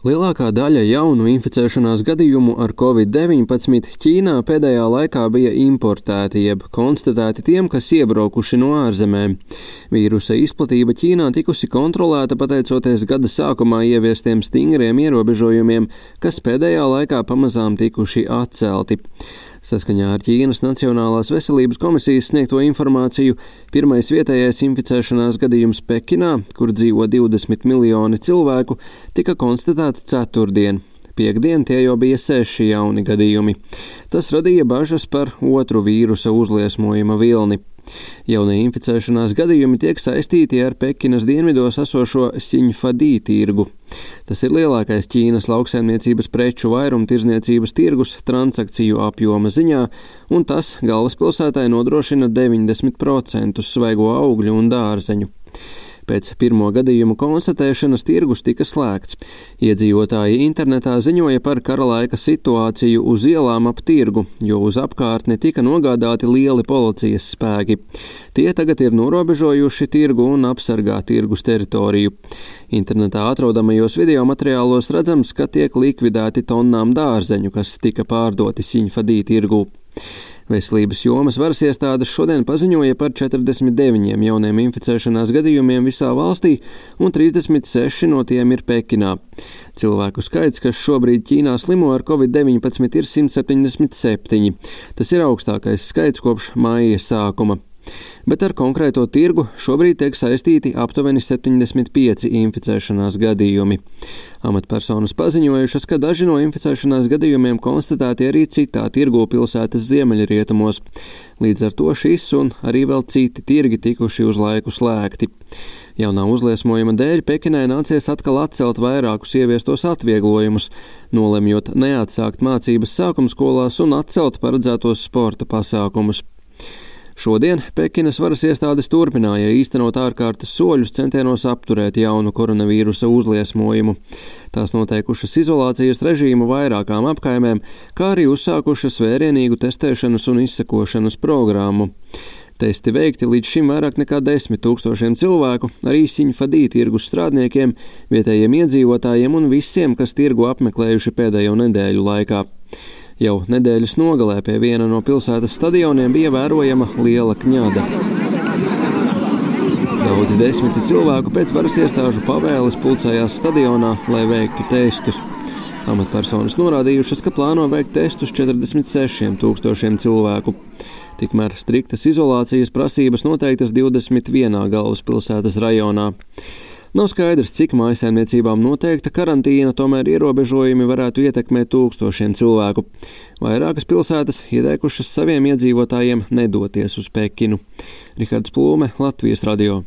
Lielākā daļa jaunu inficēšanās gadījumu ar Covid-19 Ķīnā pēdējā laikā bija importēti, jeb konstatēti tiem, kas iebraukuši no ārzemēm. Vīrusa izplatība Ķīnā tikusi kontrolēta pateicoties gada sākumā ieviestiem stingriem ierobežojumiem, kas pēdējā laikā pamazām tikuši atcelti. Saskaņā ar Ķīnas Nacionālās veselības komisijas sniegto informāciju, pirmais vietējais inficēšanās gadījums Pekinā, kur dzīvo 20 miljoni cilvēku, tika konstatēts ceturtdien. Piektdien tie jau bija 6 jauni gadījumi. Tas radīja bažas par otru vīrusa uzliesmojuma vilni. Jaunie inficēšanās gadījumi tiek saistīti ar Pekinas dienvidos esošo Siņfadī tirgu. Tas ir lielākais Ķīnas lauksaimniecības preču vairumtirdzniecības tirgus transakciju apjoma ziņā, un tas galvaspilsētai nodrošina 90% svaigo augļu un dārzeņu. Pēc pirmo gadījumu konstatēšanas tirgus tika slēgts. Iedzīvotāji internetā ziņoja par kara laika situāciju uz ielām ap tirgu, jo uz apkārtni tika nogādāti lieli policijas spēki. Tie tagad ir norobežojuši tirgu un apsargā tirgus teritoriju. Internetā atrodamajos video materiālos redzams, ka tiek likvidēti tonnām dārzeņu, kas tika pārdoti Siņfadī tirgū. Veselības jomas varas iestādes šodien paziņoja par 49 jauniem inficēšanās gadījumiem visā valstī, un 36 no tiem ir Pekinā. Cilvēku skaits, kas šobrīd Ķīnā slimo ar Covid-19, ir 177. Tas ir augstākais skaits kopš maija sākuma. Bet ar konkrēto tirgu šobrīd tiek saistīti aptuveni 75 inficēšanās gadījumi. Amatpersonas paziņojušas, ka daži no inficēšanās gadījumiem konstatēti arī citā tirgu pilsētas ziemeļrietumos. Līdz ar to šis un arī vēl citi tirgi tikuši uz laiku slēgti. Jaunā uzliesmojuma dēļ Pekinai nācies atkal atcelt vairākus ieviestos atvieglojumus, nolemjot neatsākt mācības sākumskolās un atcelt paredzētos sporta pasākumus. Šodien Pekinas varas iestādes turpināja īstenot ārkārtas soļus centienos apturēt jaunu koronavīrusa uzliesmojumu. Tās noteikušas izolācijas režīmu vairākām apkaimēm, kā arī uzsākušas vērienīgu testēšanas un izsekošanas programmu. Testi veikti līdz šim vairāk nekā 10 000 cilvēku, arī Siņfadī tirgus strādniekiem, vietējiem iedzīvotājiem un visiem, kas tirgu apmeklējuši pēdējo nedēļu laikā. Jau nedēļas nogalē pie viena no pilsētas stadioniem bija vērojama liela kņada. Daudzi desmiti cilvēku pēc varas iestāžu pavēles pulcējās stadionā, lai veiktu testus. Amatpersonas norādījušas, ka plāno veikt testus 46 000 cilvēku. Tikmēr striktas izolācijas prasības noteiktas 21 galvaspilsētas rajonā. Nav skaidrs, cik mājsaimniecībām noteikta karantīna, tomēr ierobežojumi varētu ietekmēt tūkstošiem cilvēku. Vairākas pilsētas ieteikušas saviem iedzīvotājiem nedoties uz Pekinu. Rihards Plūme, Latvijas radio.